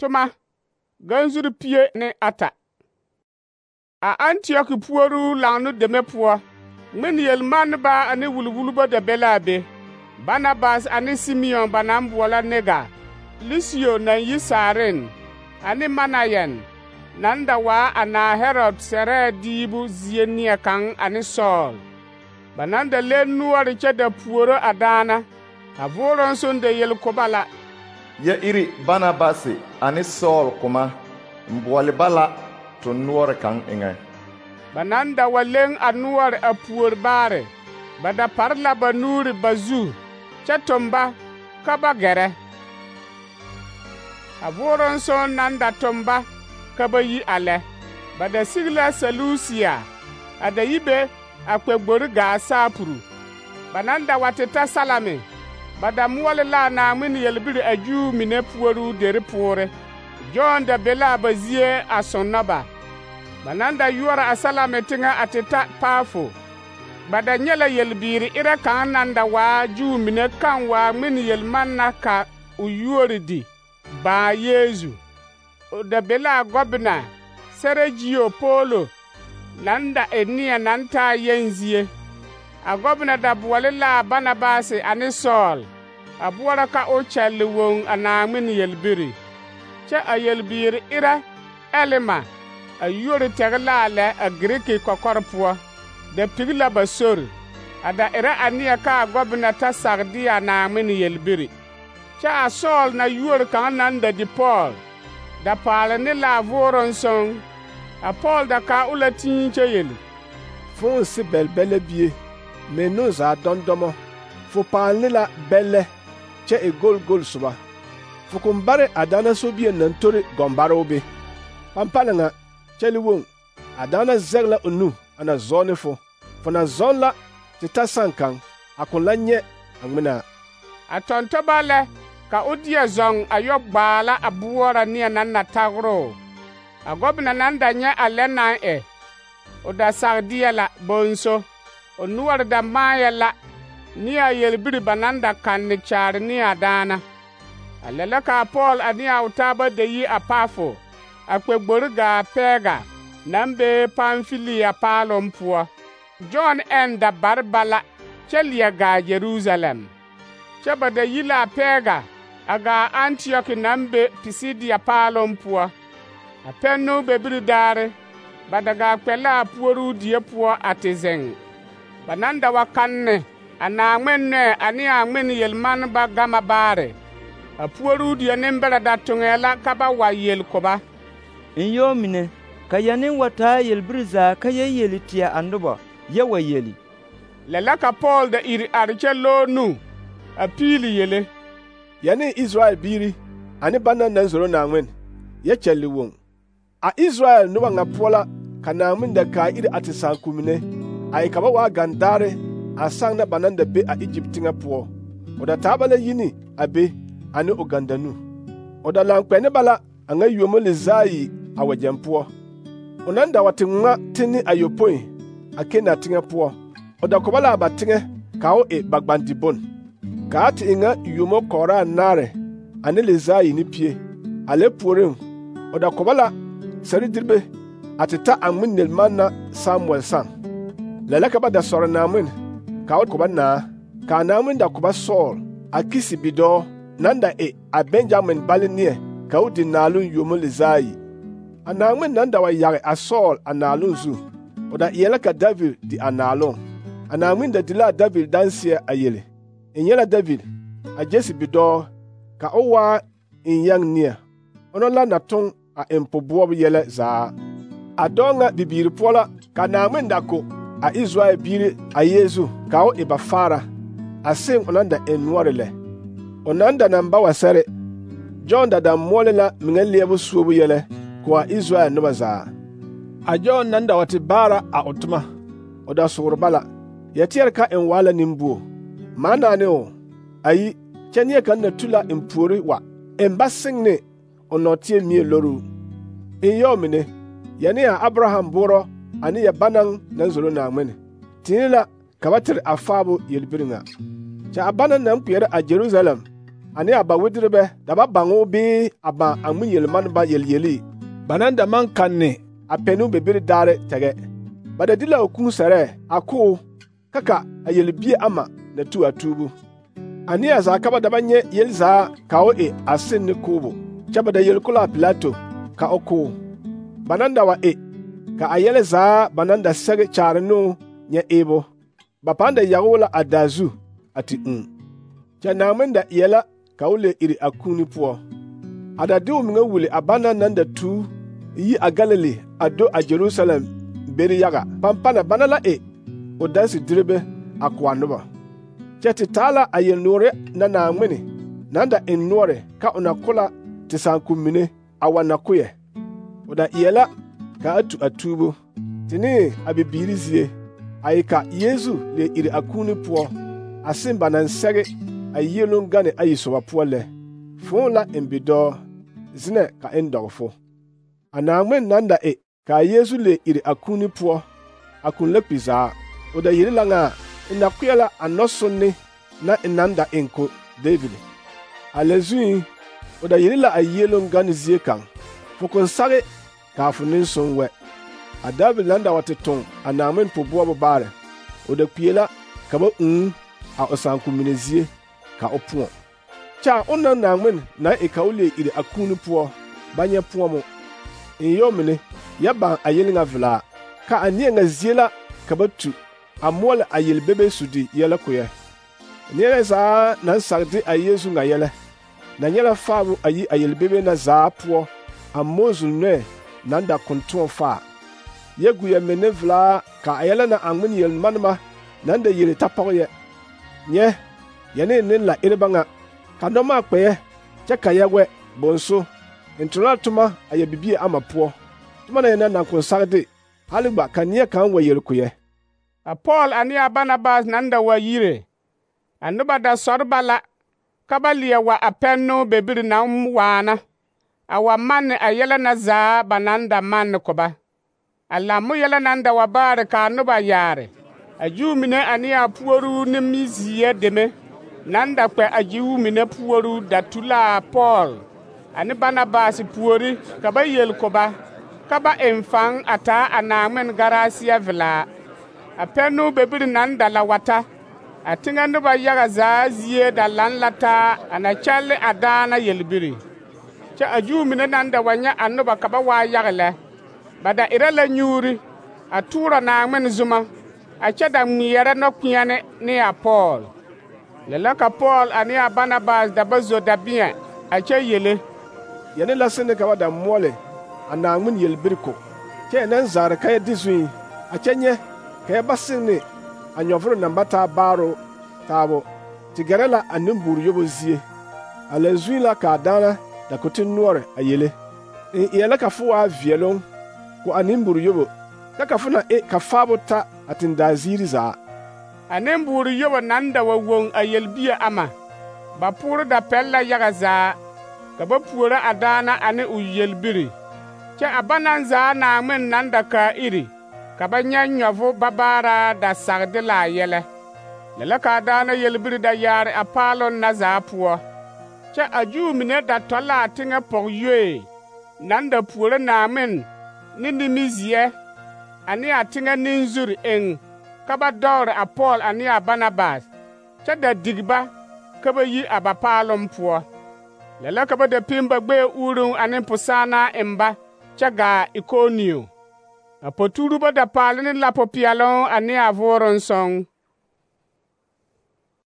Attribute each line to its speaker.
Speaker 1: Toma ganzuri pie ne ata. A Antioch puoru laŋno deme poɔ, ŋmen yelmanneba ane wulwulba da be la a be. Barnabas ane Simeon ba naŋ boɔlɔ Nega, Lusio naŋ yi Saaren, ane Manayen naŋ da waa a naa Herod sɛrɛɛ diibu zie neɛ kaŋ ane Sɔɔl. Ba naŋ da le noɔre kyɛ da puoro a daana. A vooroŋ soŋ da yel ko ba la:
Speaker 2: Ya iri Barnabas ane Sɔɔl koma, n boɔle ba la to noɔre kaŋ eŋɛ.
Speaker 1: Ba naŋ da wa leŋ a noɔre a puori baare, ba da pare la ba nuuri ba zu, kyɛ tom ba ka ba gɛrɛ. A vooroŋ soŋ naŋ da tom ba ka ba yi a lɛ. Ba da sig la Selusia, a da yi be a kpɛ gbori gaa Saapuru. Ba naŋ da wa te ta Salami, ba da moɔle la a Naaŋmen yelbiri a Juu mine puoru deri poore. Jɔn da be la ba zie a sonna ba. Ba naŋ da yuoro a Salami teŋɛ a te ta Paafo. Ba da nyɛ la yelbiiri erɛ kaŋ naŋ da waa Juu mine kaŋ waa ŋmen yelmanna ka o yuori di baa Yeezu. O da be la a gɔbena Sergio Polo naŋ da e neɛ naŋ taa yenzie. A gɔbena da boɔle la a Barnabas ane Sɔɔl a boɔrɔ ka o kyɛlle woŋ a Naaŋmen yelbiri. Kyɛ a yelbiiri erɛ Elima a yuori tɛge la a lɛ a Giriki kɔkɔre poɔ, da pigi la ba sori, a da erɛ a neɛ ka a gɔbena ta sag de a Naaŋmen yelbiri. Kyɛ a Sɔɔl na yuori kaŋ naŋ da di Pɔɔl, da paale ne la a vooroŋ soŋ. A Pɔɔl da kaa o la tii kyɛ yeli:
Speaker 3: Fo si bɛlbɛlɛ bie, menu zaa dɔndɔmɔ, fo paale ne la bɛllɛ kyɛ e gol soba. Fo kun bare a daana sobie naŋ tori gɔmbaroo be. Pampala ŋa, kyɛle woŋ, a daana zɛge la o nu a na zɔɔ ne fo. Fo na zɔŋ la te ta sankaŋ, a kun la nyɛ a ŋmenaa.
Speaker 1: A tɔntɔba lɛ ka o deɛ zɔŋ a yɔ gbaala a boɔra neɛ naŋ na tagoroo. A gɔbena naŋ da nyɛ a lɛ naŋ e, o da sag deɛ la bonso. O noɔre da maayɛ la ne a yelbiri ba naŋ da kanne kyaare ne a daana. A lɛ la ka a Pɔɔl ane a o taaba da yi a Paafo, a kpɛ gbori gaa Pɛɛga naŋ be Pamfilia paaloŋ poɔ. Jɔn ɛn da bare ba la kyɛ leɛ gaa Jerusalem. Kyɛ ba da yi la a Pɛɛga a gaa Antioch naŋ be Pisidia paaloŋ poɔ. A pɛnno bebiri daare, ba da gaa kpɛ la a puoruu die poɔ a te zeŋ. Ba naŋ da wa kanne a Naaŋmen nɔɛ ane a ŋmen yelmanneba gama baare. A puoruu die nembɛrɛ da toŋɛɛ la ka ba wa yel ko ba:
Speaker 4: N yɔɔ mine, ka ya ne wa taa yelbiri zaa ka yɛ yeli teɛ a noba, yɛ wa yeli.
Speaker 1: Lɛ la ka Pɔɔl da iri are kyɛ lɔɔ nu a piili yele:
Speaker 3: Ya ne Israel biiri ane banna naŋ zoro Naaŋmen, yɛ kyɛlle woŋ. A Israel noba ŋa poɔ la ka Naaŋmen da kaa iri a te saaku mine, a e ka ba waa gandaare a saŋ na ba naŋ da be a Egypt teŋɛ poɔ. O da taa ba la yini a be ane o gandanu. O da laŋ kpɛ ne ba la a ŋa yuomo le zaa yi a wagyɛŋ poɔ. O naŋ da wa te ŋma tenne ayopõi a Kena teŋɛ poɔ. O da kɔba la a ba teŋɛ ka o e ba gbandi bon. Ka a te e ŋa yuomo kɔɔraa naare ane le zaa yi ne pie. A lɛ puoriŋ, o da kɔba la sɛrediribe a te ta a ŋmen yelmanna Samuɛl saŋ. Lɛ la ka ba da sɔrɔ Naaŋmen ka o kɔba naa. Ka a Naaŋmen da kɔba Sɔɔl a Kisi bidɔɔ naŋ da e a Benjamin bale neɛ ka o di naaloŋ yuomo le zaa yi. A Naaŋmen naŋ da wa yage a Sɔɔl a naaloŋ zu, o da eɛ la ka David di a naaloŋ. A Naaŋmen da di la a David danseɛ a yele: N nyɛ la David, a Jesse bidɔɔ, ka o waa n yɛŋ neɛ. Ona la na toŋ a eŋ poboɔbo yɛlɛ zaa. A dɔɔ ŋa bibiiri poɔ la ka Naaŋmen da ko a Israel biiri a Yeezu ka o e ba faara, a seŋ o naŋ da eŋ noɔre lɛ. O naŋ da naŋ ba wa sɛre, Jɔn da moɔle la meŋa leɛbo suobo yɛlɛ ko a Israel noba zaa. A Jɔn naŋ da wa te baara a o toma, o da soore ba la. Yɛteɛre ka n waa la nembuo. Maa naane o, ayi, kyɛ neɛ kaŋ na tu la n puori wa, n ba seŋ ne o nɔɔteɛ mie loruu. N yɔɔ mine, yɛ ne a Abraham boorɔ ane yɛ banaŋ naŋ zoro Naaŋmen, tiini la ka ba tere a faabo yelbiri ŋa. Kyɛ a banaŋ naŋ kpeɛrɛ a Jerusalem ane a ba wedirebe da ba baŋo bee a ba a ŋmen yelmaneba yelyeli ba naŋ da maŋ kanne a pɛnoo be bere daare tɛgɛ. Ba da de la a kũũ sɛrɛɛ a koo ka a yelbie ama na tu a tuubu. A neɛ zaa ka ba da ba nyɛ yeli zaa ka o e a seŋ ne koobo, kyɛ ba da yeli ko la a Pilato ka o koo. Ba naŋ da wa e ka a yɛlɛ zaa ba naŋ da sɛge kyaare ne o nyɛ eebo. Ba pãã da yage o la a daa zu a te ũũ. Kyɛ Naaŋmen da eɛ la ka o le iri a kuuni poɔ. A da de o meŋa wuli a bana naŋ da tu yi a Galili a do a Jerusalem beri yaga. Pampana bana la e o danse direbe a ko a noba. Kyɛ te taa la a yelnoore na Naaŋmen naŋ da eŋ noɔre ka o na ko la te sããkom mine a wa na koyɛ. O da eɛ la ka a tu a tuubo, te ne a bibiiri zie, a e ka Yeesu le iri a kuuni poɔ, a seŋ ba naŋ sɛge a yieloŋ gane ayi soba poɔ lɛ. Fõõ la eŋ bidɔɔ, zenɛ ka eŋ dɔgefo. A Naaŋmen naŋ da e ka a Yeesu le iri a kuuni poɔ, a kũn la kpi zaa. O da yiri la ŋa e na kpeɛ la a nɔsonne na e naŋ da eŋ ko David. A lɛ zuŋ, o da yiri la a yieloŋ gane zie kaŋ, fo kon sage kaa fo nensoŋ wɛ. A David naŋ da wa te toŋ a Naaŋmen poboɔbo baare, o da kpie la ka ba ūū a o sããkom mine zie ka o põɔ. Kyɛ a onaŋ Naaŋmen naŋ e ka o le iri a kuuni poɔ ba nyɛ põɔmo. En yɔ mine yɛ baŋ a yele ŋa velaa, ka a neɛ ŋa zie la ka ba tu a moɔle a yelbebe sudi yɛlɛ koyɛ. Neɛ zaa naŋ sage de a Yeesu ŋa yɛlɛ, na nyɛ la faabo a yi a yelbebe na zaa poɔ a Moses nɔɛ naŋ da kon tõɔ faa. Yɛ gu yɛ menne velaa ka a yɛlɛ na a ŋmen yelmanema naŋ da yele ta pɔge yɛ. Nyɛ, yɛ ne ne la ereba ŋa, ka nɔmaa kpɛɛ kyɛ ka yɛ wɛ bonso, en tona la toma a yɛ bibie ama poɔ, toma na yɛ na naŋ kon sage de, hali gba ka neɛ kaŋ wa yel ko yɛ.
Speaker 1: A Pɔɔl ane a Barnabas naŋ da wa yire, a noba da sɔre ba la ka ba leɛ wa a pɛnnoo be biri naŋ waana, a wa manne a yɛlɛ na zaa ba naŋ da manne ko ba. A lammo yɛlɛ naŋ da wa baare ka a noba yaare, a Juu mine ane a puoruu nimizeɛ deme naŋ da kpɛ a Juu mine puoruu da tu la a Pɔɔl ane Barnabas puori ka ba yel ko ba ka ba eŋ faŋ a taa a Naaŋmen garaasiya velaa. A pɛnnoo be biri naŋ da la wata, a teŋɛ noba yaga zaa zie da laŋ la taa a na kyɛlle a daana yelbiri. Kyɛ a Juu mine naŋ da wa nyɛ a noba ka ba waa yaga lɛ, ba da erɛ la nyuuri a toorɔ Naaŋmen zuma, a kyɛ da ŋmeɛrɛ nɔkpeɛne ne a Pɔɔl. Lɛ la ka Pɔɔl ane a Barnabas da ba zo dabeɛ a kyɛ yele.
Speaker 3: Yɛne la sene ka ba da moɔle a Naaŋmen yelbiri ko, kyɛ yɛ naŋ zaare ka yɛ de zuŋ, a kyɛ nyɛ ka yɛ ba seŋ ne a nyɔvoro naŋ ba taa baaro taabo, te gɛrɛ la a nembuur yobo zie. A lɛ zuŋ la ka a daana da ko te noɔre a yele. En eɛ la ka fo waa veɛloŋ ko a nembuur yobo, ka fo na e ka faabo ta a tendaa ziiri zaa.
Speaker 1: A nembuur yobo naŋ da wa woŋ a yelbie ama, ba poore da pɛl la yaga zaa, ka ba puoro a daana ane o yelbiri. Kyɛ a ba naŋ zaa Naaŋmen naŋ da kaa iri, ka ba nyɛ nyɔvo babaaraa da sagde la a yɛlɛ. Lɛ la ka a daana yelbiri da yaare a paaloŋ na zaa poɔ. Kyɛ a Juu mine da tɔ la a teŋɛ pɔgyoe naŋ da puoro Naaŋmen ne nimizeɛ ane a teŋɛ nenzuri eŋ ka ba dɔgre a Pɔɔl ane a Barnabas, kyɛ da dig ba ka ba yi a ba paaloŋ poɔ. Lɛ la ka ba da pim ba gbɛɛ uuruŋ ane posaanaa eŋ ba kyɛ gaa Ikonio. A potuurubo da paale ne lapo peɛloŋ ane a vooroŋ sɔŋ.